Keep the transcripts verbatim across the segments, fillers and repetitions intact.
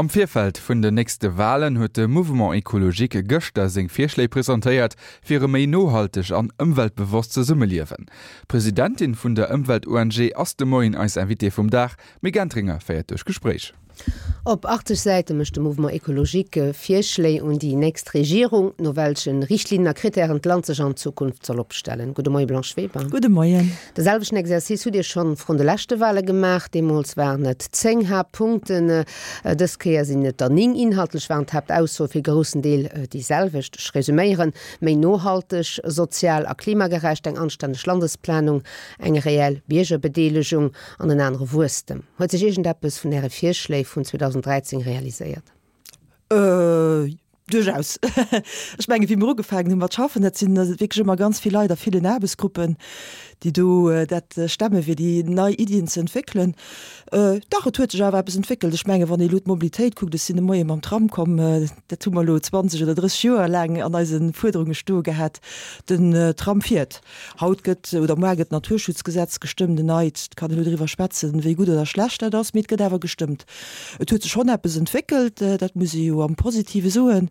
Am Virfeld vun den nächste Walen huet de Mouvement Ecologique gëschter seng Virschléi presentéiert fir e méi nohalteg an ëmweltbewosst Zesummeliewen. D'Presidentin vun der Ëmwelt-ONG ass de Moien eis Invitée vum Dag, Mick Entringer féiert duerch d'Gespréich. Op achtzeg Säite mécht de Mouvement Ecologique Virschléi un déi nächst Regierung, no welche Richtlinnen a Krittären d'Land sech an Zukunft soll opstellen. Gudde Moie Blanche Weber. Gudde Moien. De selwechten Exercice hutt Dir schonn vrun de leschte Wale gemaach. Deemools waren et zéng Haaptpunkten, dës Kéier sinn et der néng. Inhaltlech waren d'Haaptaussoe fir e groussen Deel déi selwecht. Ech resuméieren, méi nohalteg, sozial a klimagerecht, eng anstänneg Landesplanung, eng reell Biergerbedeelegung an en anere Wuesstem. Huet sech iergendeppes vun Äre Virschléi vun zweedausenddräizéng realiséiert? Äh, duerchaus. Ech mengen, wéi mir ugefaangen hu mat schaffen, dat sinn wierklech ëmmer ganz vill Leit a villen Aarbechtsgruppen, déi do dat stemme fir déi nei Iddien ze entwéckelen. Dach, et huet sech awer eppes entwéckelt. Ech mengen, wann ee elo d'Mobilitéit kuckt, ech sinn de Moie mam Tram komm, dat hu mer elo zwanzeg oder drësseg Joer laang an eise Fuerderunge stoe gehat, den Tram fiert. Haut gëtt oder muar gëtt d'Naturschutzgesetz gestëmmt, en neit. Et kann een elo driwwer schwätzen, wéi gutt oder schlecht dat ass, mee et gëtt awer gestëmmt. Et huet sech schonn eppes entwéckelt, dat muss ee jo am Positive soen.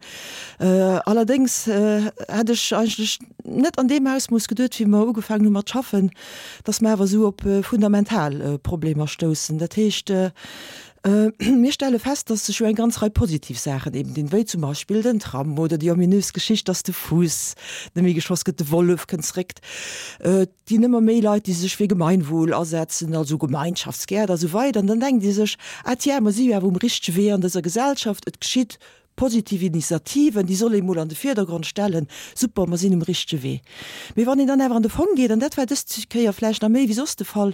Allerdéngs hätt ech eigentlech net an deem Ausmooss geduet, wéi mer ugefaangen hu mat schaffen, datt mer awer esou op fundamental Problemer stoussen. Dat heescht, mir stelle fest, datt sech jo eng ganz Rei positiv Saachen eben dinn, wéi zum Beispill den Tram oder déi ominös Geschicht, datt de Fuuss net méi geschoss gëtt, de Wollef kënnt zréck. Et ginn ëmmer méi Leit, déi sech fir Gemeinwohl asetzen, also Gemeinschaftsgäert a sou weider. An dann denkt ee sech, Ah tiens, mer si jo awer um richtege Wee an dëser Gesellschaft, et geschitt Positiv Initiativen, déi soll ee mol an de Virdergrond stellen. Super, mer sinn um richtege Wee. Mee wann een dann awer an de Fong geet, an dat war dës Kéier vläicht nach méi wéi soss de Fall,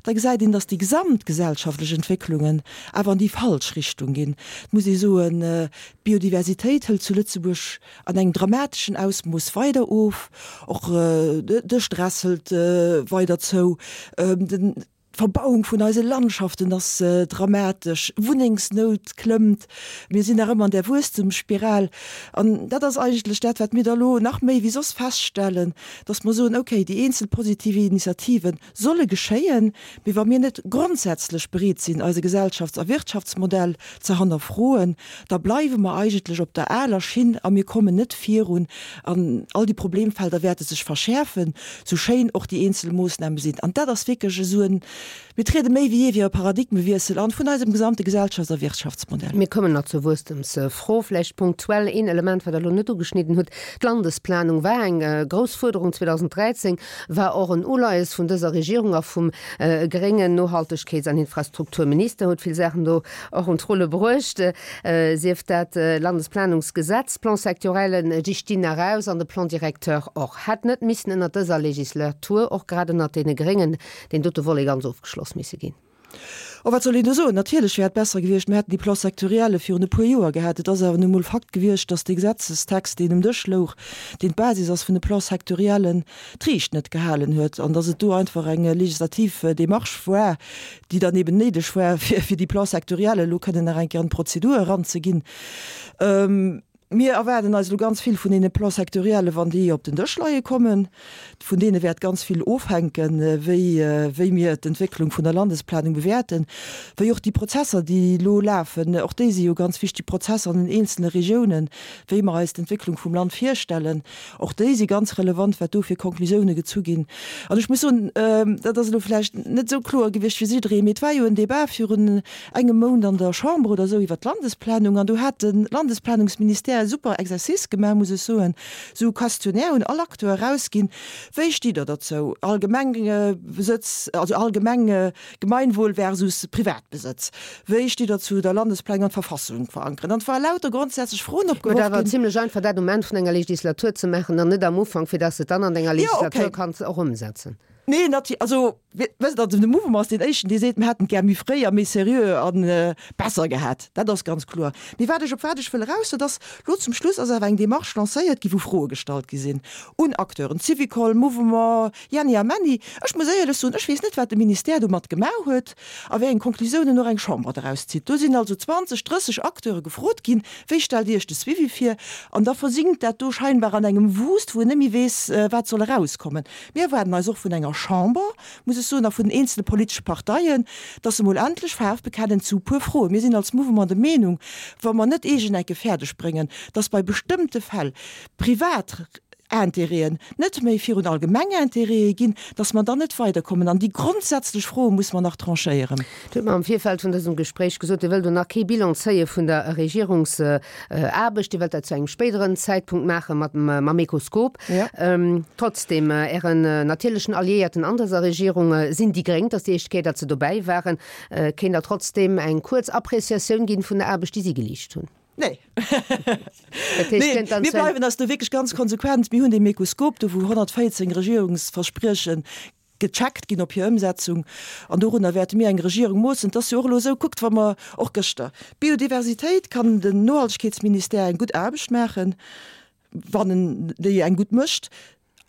da gesäit een, datt déi gesamtgesellschaftlech Entwécklungen awer an déi falsch Richtung ginn. Et muss ee soen, d'Biodiversitéit hëlt zu Lëtzebuerg an engem dramateschen Ausmooss weider of, och de Stress hëlt weider zou, den. D'Verbauung vun eise Landschaften ass dramatesch, Wunnengsnout klëmmt, mir sinn nach ëmmer an där Wuesstemsspiral. An dat ass eigentlech dat, wat mir da elo nach méi wéi soss feststellen, dass mer soen, okay, déi eenzel positiv Initiative solle geschéien, mee wa mir net grondsätzlech bereet sinn, eise Gesellschafts a Wirtschaftsmodell ze hannerfroen, da bleiwe mer eigentlech op der aler Schinn a mir kommen net virun. An all déi Problemfelder wäerte sech verschäerfen, sou schéin och déi eenzel Moossname sinn. An dat ass wierklech esou en, mir triede méi wéi jee fir e Paradigmewiessel an vun eisem gesamte Gesellschafts a Wirtschaftsmodell. Mir kommen nach zur Wuesstemsfro. Vläicht punktuell een Element, wat Der elo net ugeschnidden hutt, D'Landesplanung war eng grouss Fuerderung zweedausenddräizéng, war och en Uleies vun dëser Regierung a vum gréngen Nohaltegkeets an Infrastrukturminister, huet vill Saachen do och un d'Rulle bruecht, sief dat Landesplanungsgesetz, Plan-sectoriellen, déi stinn nach aus, an de Plan directeur och. Hätt net missen ënnert dëser Legislatur, och grad ënnert deene Gréngen, deen dote Volet ganz ofgeschloss misse ginn? Oh, wat soll een do soen? Natierlech wär et besser gewiescht, mir hätten déi Plans sectorielle virun e puer Joer gehat. Et ass awer nu emol Fakt gewiescht, dass dee Gesetzestext, deen um Dësch louch, deen d'Basis ass vun de Plans sectoriellen, d'Riicht net gehalen huet an dass et do einfach eng legislativ Démarche war, déi dann eben néideg war, fir fir déi Plans sectoriels elo kënnen nach eng Kéier an d'Prozedur eranzeginn. Mir erwaarden eis elo ganz vill vun deene Plans sectoriellen, wann déi op den Dësch leie kommen. Vun deene wäert ganz vill ofhänken, wéi wéi mir d'Entwécklung vun der Landesplanung bewäerten, wéi och déi Prozesser, déi elo lafen, och déi si jo ganz wichtig Prozesser an den eenzelne Regiounen, wéi mer eis d'Entwécklung vum Land virstellen. Och déi si ganz relevant, wat do fir Konklusiounen gezu ginn. An ech muss soen, dat ass elo vläicht net esou kloer gewiescht fir jidderee, mee et war jo en Débat virun engem Mount an der Chamber oder esou iwwert d'Landesplanung an do hat de Landesplanungsministère e super Exercice gemaach, muss ech soen, esou e Questionnaire un all Acteur erausginn, Wéi stitt Der derzou, Allgemengbesëtz, also allgemeng Gemeinwohl versus Privatbesëtz? Wéi stitt Der zu der Landesplanung an d'Verfassung verankeren? An et ware lauter grondsätzlech Froen opgeworf ginn. Et awer zimlech einfach, dat um Enn vun enger Legislatur ze maachen an net am Ufank, fir dass de et dann an denger Legislatur kanns och ëmsetzen. Nee, nati-, also, wësst Der, de Mouvement ass deen éischten, dee seet, mir hätten et gär méi fréi a méi seriö a besser gehat. Dat ass ganz kloer. Mee wat ech, op wat ech wëll eraus, dat ass, elo zum Schluss ass awer eng Démarche lancéiert ginn, wou Froe gestallt gi sinn un Acteuren, Syvicol, Mouvement, Jenni a Menni. Ech muss éierlech soen, ech weess net, wat de Ministère domat gemaach huet a wéi eng Konklusiounen och eng Chamber doraus zitt. Do sinn also zwanzeg, drësseg Acteure gefrot ginn, Wéi stellt Dir Iech de Suivi vir? An da versinkt dat do scheinbar an engem Wust, wou een net méi weess, wat soll erauskommen. Mir erwaarden eis och vun enger Chamber, muss ech soen, a vun den eenzele politesche Parteien, dass se mol endlech Faarf bekennen zu e puer Froen. Mir sinn als Mouvement der Meenung, wa mer net iergendecke fäerdeg bréngen, dass bei bestëmmte Fäll privat Intérêten net méi virun allgemeng Intérêtë ginn, dass mer dann net weiderkommen. An déi grondsätzlech Froe muss mer nach tranchéieren. Dir hutt mer am Virfeld vun dësem Gespréich gesot, Dir wëllt do nach kee Bilan zéie vun der Regierungsaarbecht. Dir wëllt dat zu engem spéideren Zäitpunkt maache mat mam Ecoscope. Trotzdem, Ären natierlechen Alliéierten an dëser Regierung sinn déi Gréng. Et ass déi éischt Kéier, datt se dobäi waren. Kéint Der trotzdem eng kuerz Appreciatioun ginn vun der Aarbecht, déi si geleescht hunn? Nee. Nee, mir bleiwen eis do wierklech ganz konsequent. Mir hunn dee Mecoskop do, wou honnertvéierzéng Regierungsversprieche gecheckt ginn op hir Ëmsetzung. An dorunner wäerte mir eng Regierung moossen. Et ass jo och elo esou, kuckt, wa mer och gëschter, Biodiversitéit, kann den Nohaltegkeetsministère eng gutt Aarbecht maachen, wann en déi eng gutt mécht.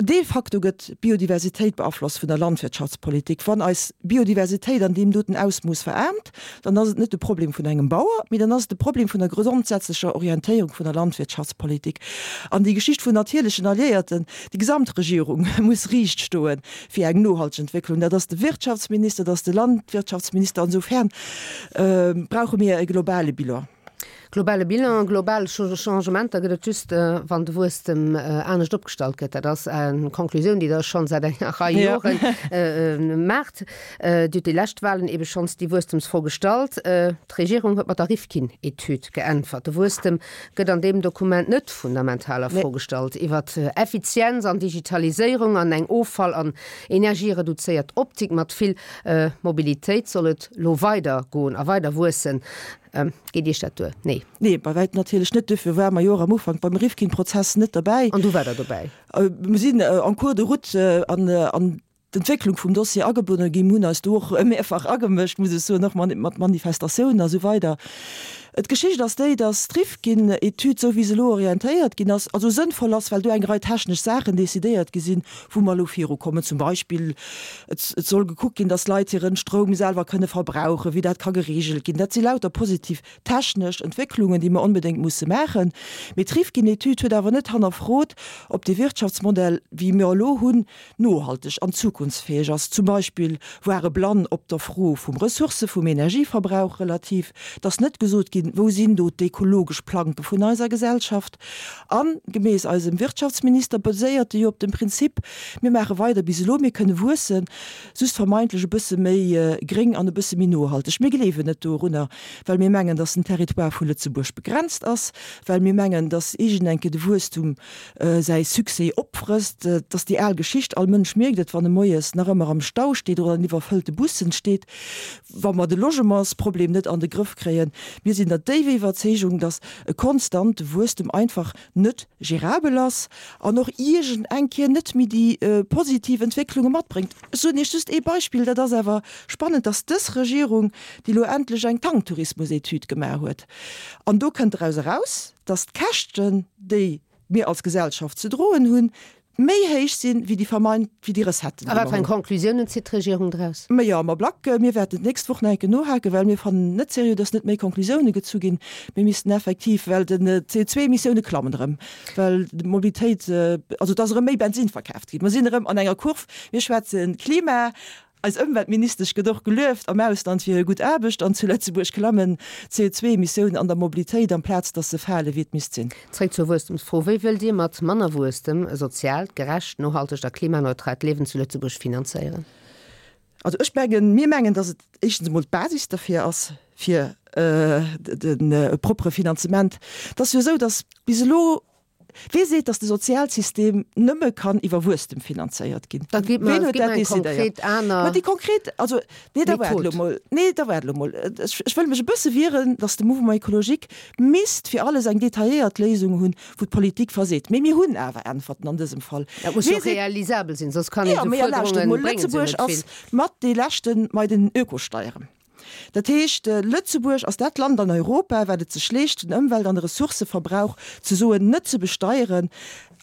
De facto gëtt d'Biodiversitéit beaflosst vun der Landwirtschaftspolitik. Wann eis Biodiversitéit an deem doten Ausmooss veraarmt, dann ass et net de Problem vun engem Bauer, mee dann ass et de Problem vun der grondsätzlecher Orientéierung vun der Landwirtschaftspolitik. An déi Geschicht vun natierlechen Alliéierten, déi gesamt Regierung muss riicht stoe fir eng nohalteg Entwécklung. Dat ass de Wirtschaftsminister, dat ass de Landwirtschaftsminister. Insofern brauche mir e globale Bilan. Globale Bilan, global Changementer gëtt et just, wann de Wuesstem anescht opgestallt gëtt. Dat ass eng Conclusioun, déi Der schonn säit enger Rei Jore maacht. Dir hutt déi lescht Wahlen ebe schonns déi Wuesstemsfro gestallt. D'Regierung huet mat der Rifkin-Etüd geäntwert. De Wuesstem gëtt an deem Dokument net fundamental a Fro gestallt. Iwwer Effizienz an Digitaliséierung an eng Offall an energiereduzéiert Optik mat vill Mobilitéit soll et lo weider goen a weider wuessen. Geet Iech dat duer? Nee. Nee, bei wäitem natierlech net. Duerfir ware mer jo och am Ufank beim Rifkin-Prozess net derbäi. An du waart Der dobäi? Mir sinn en cours de route an an d'Entwécklung vum Dossier agebonne ginn, hunn eis do och mehrfach agemëscht, muss ech soen, och mat Manifestatiounen a sou weider. D'Geschicht ass déi, dass d'Rifkin-Etüd, esou wéi se elo orientéiert ginn ass, also sënnvoll ass, well do eng Rei technesch Saachen decidéiert gi sinn, wou mer elo virukommen. Zum Beispill, et soll gekuckt ginn, dass d'Leit hiren Stroum selwer kënne verbrauchen, wéi dat ka geregelt ginn. Dat si lauter positiv technesch Entwécklungen, déi mer onbedéngt musse maachen. Mee d'Rifkin-Etüd huet awer net hannerfrot, ob dee Wirtschaftsmodell, wéi mir elo hunn, nohalteg an zukunftsfäeg ass. Zum Beispill war e blann op der Fro vum Ressourcë vum Energieverbrauch relativ. Et ass net gesot ginn, Wou sinn do d'ekologesch Planke vun eiser Gesellschaft? A gemäss eisem Wirtschaftsminister baséiert e jo op dem Prinzip, Mir maache weider bis elo, mir kënne wuessen, just vermeintlech e bësse méi gréng an e bësse méi nohalteg. Mir gleewen net dorunner, well mir mengen, dass den Territoire vu Lëtzebuerg begrenzt ass, well mir mengen, dass iergendenke de Wuesstum säi Succès opfrësst. Et ass déi al Geschicht, all Mënsch mierkt et, wann e moies nach ëmmer am Stau steet oder an iwwerfëllte Bussen steet, wa mer de Logementsproblem net an de Grëff kréien. Mir sinn der déiwer Iwwerzeegung, dass e konstante Wuesstem einfach net gérabel ass an och iergend eng Kéier net méi déi positiv Entwécklunge matbréngt. Ech soen Iech just ee Beispill, dat ass awer spannend, dass dës Regierung, déi elo endlech eng Tanktourismusetüd gemaach huet, an do kënnt draus eraus, dass d'Käschten, déi mir als Gesellschaft ze droen hunn, méi héich sinn, wéi déi vermeint, wéi déi Recetten, déi mer hunn. A wat fir eng Conclusiounen zitt d'Regierung draus? Mä jo, mer Black, mir wäerten d'nächst Woch nach eng Kéier nohaken, well mir fannen net seriö, dass net méi Conclusiounen gezu ginn. Mir missten effektiv, well den C O zwei Emissiounen klammen erëm, well d'Mobilitéit, also et ass erëm méi Bensinn verkaaft ginn. Mer sinn erëm an enger Kurv. Mir schwätzen Klima. Eis Ëmweltministesch gëtt och gelueft am Ausland fir hir gutt Aarbecht an zu Lëtzebuerg klammen d'C O zwei Emissiounen an der Mobilitéit amplaz dass se fale wéi et misst sinn. Zréck zur Wuesstemsfro, Wéi wëllt Dir mat manner Wuesstem e soziaalt, gerecht, nohaltegt a klimaneutraalt Liewen zu Lëtzebuerg finanzéieren? Also ech mengen, mir mengen, dass et éischtens emol d'Basis derfir ass, fir de propere Finanzement. Et ass jo esou, dass bis elo Wee seet, datt de Sozialsystem nëmme kann iwwer Wuesstem finanzéiert ginn? Da gitt mer, Ween huet gitt dat mer eng decidéiert? konkret aner Ma déi konkret, also, nee, da waart elo Method. mol, nee, da waart elo mol. Ech, ech wëll mech e bësse wieren, datt de Mouvement écologique misst fir alles eng detailléiert Léisung hunn, wou d'Politik verseet. Mee mir hunn awer Äntwerten an dësem Fall. Dat muss jo Wee seet, realisabel sinn, soss kann een jo, esou mee lauschtert Fuerderunge mol, bréngen se jo Lëtzebuerg net vill. ass mat dee leschten bei den Ökosteieren. Dat heescht, Lëtzebuerg ass dat Land an Europa, wat et sech leescht, den Ëmwelt an de Ressourcëverbrauch ze soen net ze besteieren.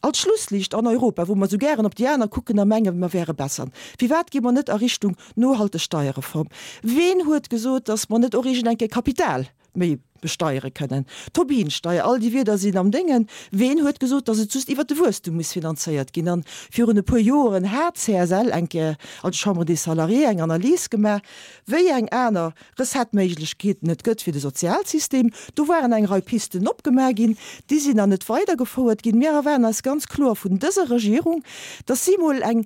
Als Schlussliicht an Europa, wou mer esou gären op déi aner kucken a mengen, mer wäre besser. Firwat gi mer net a Richtung nohalteg Steierreform? Ween huet gesot, datt mer net och iergend eng Kéier Kapital méi besteiere kënnen. Tobin-Steier, all déi Wierder sinn am Déngen. Ween huet gesot, datt et just iwwert de Wuesstum muss finanzéiert ginn? An virun e puer Joren hat d'CSL eng Kéier, also d'Chambre des Salariés, eng Analys gemaach, wéi eng aner Recettëméiglechkeeten et gëtt fir de Sozialsystem. Do waren eng Rei Pisten opgemaach ginn, déi sinn dann net weidergefouert ginn. Mir erwaarden eis ganz kloer vun dëser Regierung, datt si mol eng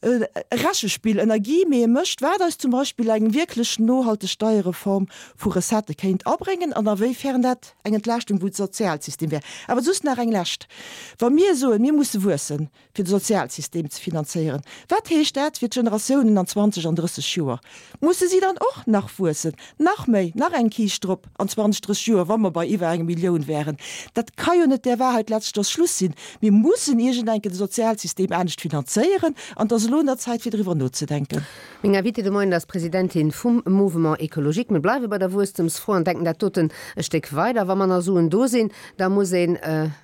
e Rechespill ënner Guillemete mécht, wat eis zum Beispill eng wierklech nohalteg Steierreform vu Recettë kéint abréngen an awéifern dat eng Entlaaschtung vum Sozialsystem wär. Awer just nach eng lescht, Wa mir soen, mir musse wuessen, fir de Sozialsystem ze finanzéieren, wat heescht dat fir d'Generatiounen an zwanzeg an drësseg Joer? Musse si dann och nach wuessen, nach méi, nach eng Kiischt drop an zwanzeg, drësseg Joer, wa mer bei iwwer enger Millioun wären? Dat ka jo net der Wahrheit letzter Schluss sinn. Mir mussen iergendenke de Sozialsystem anescht finanzéieren an et ass elo un der Zäit, fir driwwer nozedenken. Meng Invitée de Moien ass d'Presidentin vum Mouvement Ecologique. Mir bleiwe bei der Wuesstemsfro an denken dat doten e Stéck weider. Wa manner Suen do sinn, da muss ee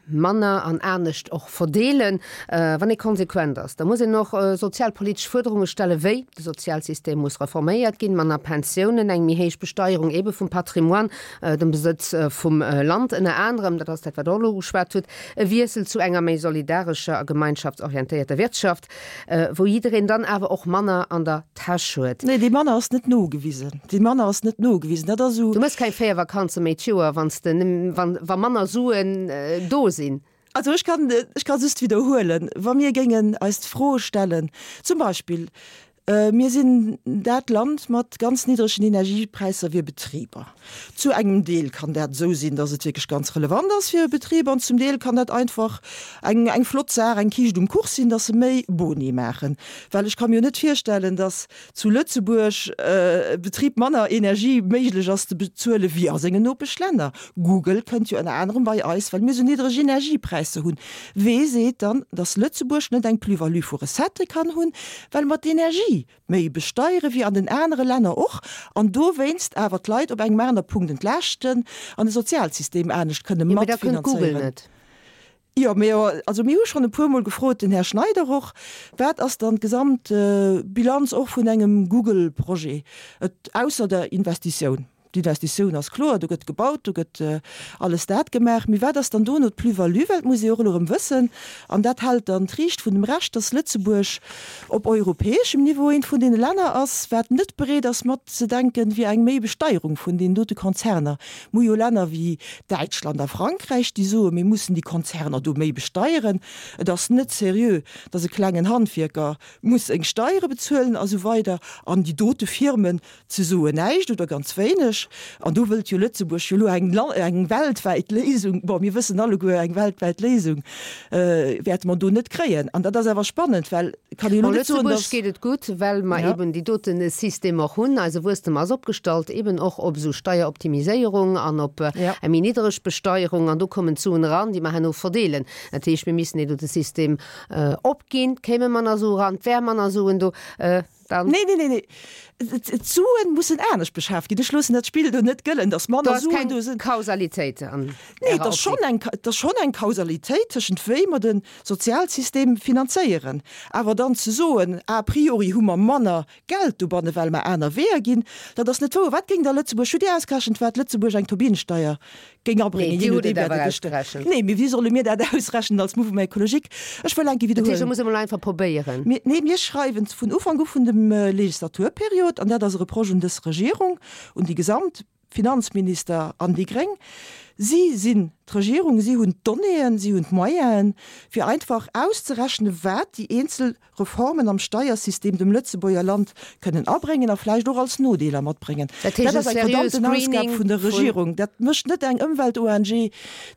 manner an anescht och verdeelen. Wann ee konsequent ass, da muss een och sozialpolitesch Fuerderunge stellen, wéi, de Sozialsystem muss reforméiert ginn, manner Pensiounen, eng méi héich Besteierung eebe vum Patrimoine, dem Besëtz vum Land ënner anerem, dat ass dat, wat Der och elo ugeschwat hutt, e Wiessel zu enger méi solidarescher a gemeinschaftsorientéierter Wirtschaft, wou jiddereen dann awer och manner an der Täsch huet. Nee, dee manner ass net nogewisen. Dee manner ass net nogewisen. Dat ass esou. Du méchs keng véier Vakanze méi d'Joer, wann s de, wa manner Suen do sinn. Also ech kann, ech ka just widderhuelen, wa mir géingen eis d'Fro stellen, zum Beispill, mir sinn dat Land mat ganz niddregen Energiepräisser fir Betriber. Zu engem Deel kann dat esou sinn, datt et wierklech ganz relevant ass fir e Betrib an zum Deel kann dat einfach eng, eng flott Saach, eng Kiischt um Kuch sinn, datt se méi Boni maachen. Well ech ka mir jo net virstellen, datt zu Lëtzebuerg e Betrib manner Energie méiglech ass ze bezuele wéi a sengen Nopeschlänner. Google kënnt jo ënner anerem bei eis, well mir esou niddreg Energiepräisser hunn. Wee seet dann, datt Lëtzebuerg net eng Plus-value vu Recettë kann hunn, well mer d'Energie méi besteiere wéi an den anere Länner och an dowéinst awer d'Leit op engem aner Punkt entlaaschten an de Sozialsystem anescht kënne Jo, mee da kënnt Google matfinanzéieren? net. Jo, mee also mir hu schonn e puermol gefrot, den Här Schneider och, wat ass dann d'Gesamtbilanz och vun engem Google-Projet, et ausser der Investitioun? D'Investitioun ass kloer, do gëtt gebaut, do gëtt alles dat gemaach, mee wat ass dann dono d'Plus-value? Well et muss ee och elo erëm wëssen, an dat hält dann d'Riicht vun dem Rescht, dass Lëtzebuerg op europäeschem Niveau eent vun deene Länner ass, wat net bereet ass matzedenken, fir eng méi Besteierung vun deenen dote Konzerner. Mir hu jo Länner wéi Däitschland a Frankräich, déi soen, mir mussen déi Konzerner do méi besteieren, et ass net seriö, datt e klengen Handwierker muss seng Steiere bezuelen a sou weider an déi dote Firmen ze soen näischt oder ganz wéineg. An do wëllt jo Lëtzebuerg jo elo eng eng weltwäit Léisung. Bon, mir wëssen alleguer, eng weltwäit Léisung wäerte mer do net kréien. An dat ass awer spannend, well et kann ee jo Bon, elo net soen, Lëtzebuerg datt. geet et gutt, well mer Ja. eben déi dote System och hunn. Eise Wuesstem ass opgestallt eben och op esou Steieroptimiséierung an op Ja. eng méi niddereg Besteierung. An do kommen d'Suen eran, déi mer herno verdeelen. Dat heescht, mir missten dee dote System opginn, kéime manner Sue eran, et wäre manner Suen do. Dann. Nee, nee, nee, nee. D'Suen mussen anescht beschaaft ginn. Ech loossen dat Spill do net gëllen, dass Do manner ass Suen keng do sinn. Kausalitéit an Nee, et Ärer ass schonn Optik. eng, et ass schonn eng Kausalitéit tëschent wéi mer de Sozialsystem finanzéieren. Awer dann ze soen, a priori hu mer manner Geld dobanne well mer aner Weeër ginn, dat ass net wouer. Wat géing da Lëtzebuerg, hutt Dir ausgerechent, wat Lëtzebuerg eng Tobin-Steier géing Nee, abréngen, Dir jee hutt nodeem et wat awer et gëscht ausgerechent. Nee, mee wéi solle mir dat ausrechnen als Mouvement écologique? Ech wëll eng Kéier Dat heescht, widderhuelen. et muss ee mol einfach probéieren. Mir, nee, mir schreiwen vun Ufank u vun dem Legislaturperiod, an dat ass e Reproche un dës Regierung, un déi gesamt Finanzminister an déi gréng, si sinn d'Regierung, si hunn d'Donnéeën, si hunn d'Moyenen, fir einfach auszerechnen, wat déi eenzel Reformen am Steiersystem dem Lëtzebuerger Land kënnen abréngen a vläicht och als Nodeeler matbréngen. Dat heescht Dat e ass eng seriös verdammten Ausgab Greening vun der vun. Regierung. Dat mécht net eng Ëmwelt-ONG,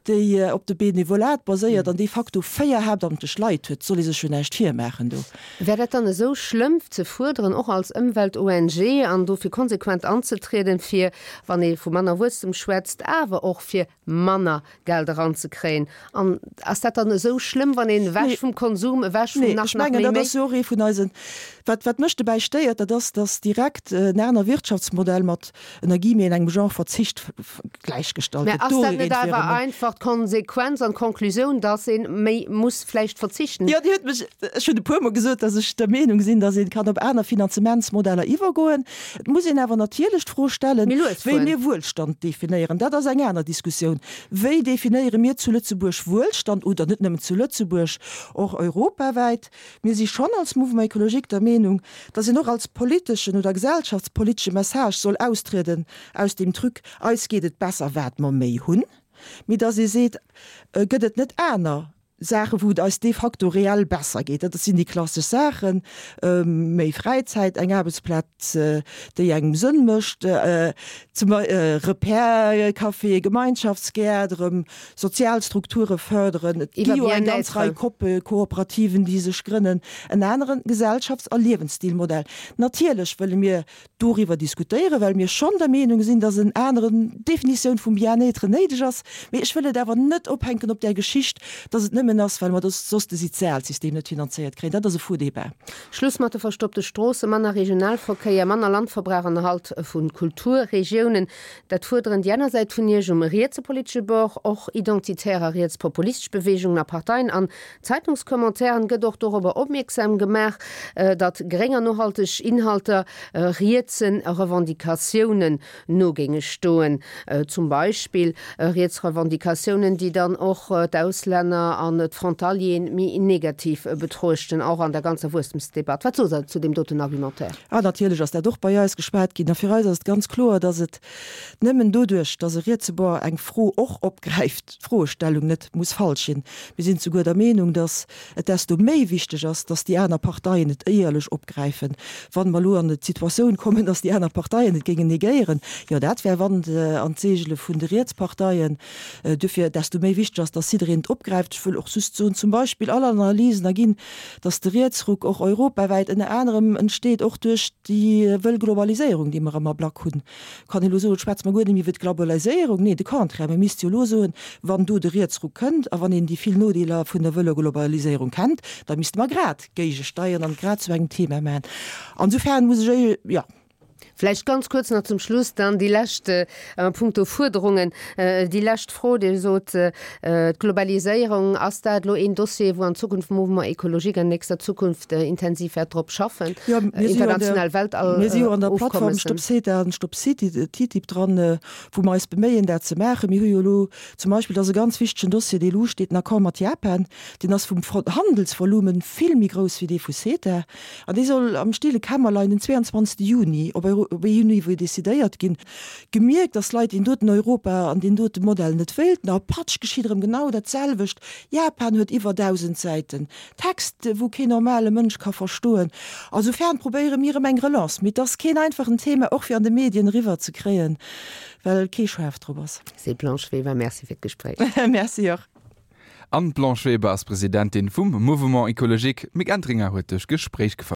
déi op de Benevolat baséiert an de facto véier haaptamtlech Leit huet. Soll ee sech jo näischt virmaachen do. Wär dat dann esou schlëmm ze fuerderen, och als Ëmwelt-ONG, an dofir konsequent anzetrieden, fir, wann ee vu manner Wuesstem schwätzt, awer och fir manner Geld eranzekréien. An ass dat dann esou schlëmm, wann een ewech vum Konsum, ewech vum Nee, nach, ech nach mengen, méi, dat méi? ass jo och ee vun eisen, wat, wat mech dobäi stéiert, dat ass, dass direkt en aner Wirtschaftsmodell mat, ënner Guillemeten, engem Genre Verzicht gläichgestallt Mä gëtt. ass dat Doriwwer net wiere awer mer. einfach d'Konsequenz an d'Konklusioun, dass ee méi muss vläicht verzichten? Jo, Dir hutt mech, ech hunn e puermol gesot, dass ech der Meenung sinn, dass ee kann op aner Finanzementsmodeller iwwergoen. Et muss een awer natierlech d'Fro stellen, Méi lues wéi fueren. mir Wuelstand definéieren. Dat ass eng aner Diskussioun. Wéi definéiere mir zu Lëtzebuerg Wuelstand oder net nëmmen zu Lëtzebuerg, och europawäit? Mir si schonn als Mouvement écologique der Meenung, dass een och als politeschen oder gesellschaftspolitesche Message soll austrieden aus dem Truc, eis geet et besser wat mer méi hunn, mee dass ee seet, gëtt et net aner Saachen, wou et eis de facto reell besser geet. Dat sinn déi klassesch Saachen, méi Fräizäit, eng Aarbechtsplaz, déi engem Sënn mécht, zum Repair-Café, Gemeinschaftsgäert, erëm sozial Strukture fërderen. Et gi Iwwer jo eng ganz Rei Bien-être. Koppe Kooperativen, déi sech grënnen. En anere Gesellschafts a Liewensstilmodell. Natierlech wëlle mir doriwwer diskutéieren, well mir schonn der Meenung sinn, dass en aneren Definitioun vum Bien-être néideg ass. Mee ech wëll et awer net ophänken op där Geschicht, dass et nëmmen ass, well mer soss de Sozialsystem net finanzéiert kréien. Dat ass e faux débat. Schluss mat de verstoppte Stroossen, manner Regionalverkéier, manner Landverbrauch an Erhalt vu Kulturregiounen. Dat fuerderen déi aner Säit vun Iech um rietse politesche Bord, och identitär a rietspopulistesch Beweegungen a Parteien. An Zeitungskommentairen gëtt och dorobber opmierksam gemaach, datt gréng an nohalteg Inhalter rietse Revendicatiounen no géinge stoen. Zum Beispill riets Revendicatiounen, déi dann och d'Auslänner an d'Frontalieren méi negativ betruechten, och an der ganzer Wuesstemsdebatt. Wat sot Der zu deem doten Argumentaire? Ah, natierlech ass dat och bei eis geschwat ginn. A fir eis ass et ganz kloer, datt et nëmmen doduerch, datt e rietse Bord eng Fro och opgräift, d'Froestellung net muss falsch sinn. Mir sinn souguer der Meenung, datt et desto méi wichteg ass, datt déi aner Parteien et éierlech opgräifen. Wann mer elo an d'Situatioun kommen, datt déi aner Parteien et géingen negéieren, jo dat wär Wand an d'Seegele vun de Rietsparteien. Duerfir desto méi wichteg ass, datt jiddereen et opgräift. Ech wëll och just soen, zum Beispill all Analysen erginn, datt de Rietsruck och europawäit ënner anerem entsteet, och duerch déi wëll Globaliséierung, déi mer am Ablack hunn. Kann een elo soen, schwätze mer guer net méi iwwer d'Globaliséierung? Nee, de Contraire, mir misste jo elo soen, wann do de Rietsruck kënnt a wann een déi vill Nodeeler vun der wëller Globaliséierung kennt, da misste mer grad géigesteieren an grad zu engem Thema maachen. Insofern muss ech, jo. Vläicht ganz kuerz nach zum Schluss dann déi lescht a punkto Fuerderungen, déi lescht Fro, Dir sot, d'Globaliséierung, ass dat elo een Dossier, wou an Zukunft Mouvement Écologique an nächster Zukunft intensiv wäert drop schaffen, Jo, mir si jo an der, international Weltall mir si jo an der Plattform Ofkommessen? Stop CETA an Stop TTIP dran, wou mer eis beméien, dat ze maachen. Mir hu jo elo zum Beispill, dat ass e ganz wichtegen Dossier, dee elo usteet, den Accord mat Japan, deen ass vum Handelsvolumen vill méi grouss wéi dee vu CETA an dee soll am stille Kämmerlein den zweiundzwanzegste Juni op op E U-Niveau decidéiert ginn. Gemierkt, dass Leit deen doten Europa an deen dote Modell net wéilten, a patsch geschitt erëm genau dat selwecht, Japan huet iwwer dausend Säiten Text, wou keen normale Mënsch ka verstoen. Insofern probéiere mir erëm eng Relance, mee et ass keen einfachen Thema, och fir an de Medien eriwwer ze kréien, well kee schaarf drop ass. Seet d'Blanche Weber, Merci fir d'Gespréich. Merci och. An d'Blanche Weber ass Presidentin vum Mouvement Écologique. D'Mick Entringer huet duerch d'Gespréich gefouert.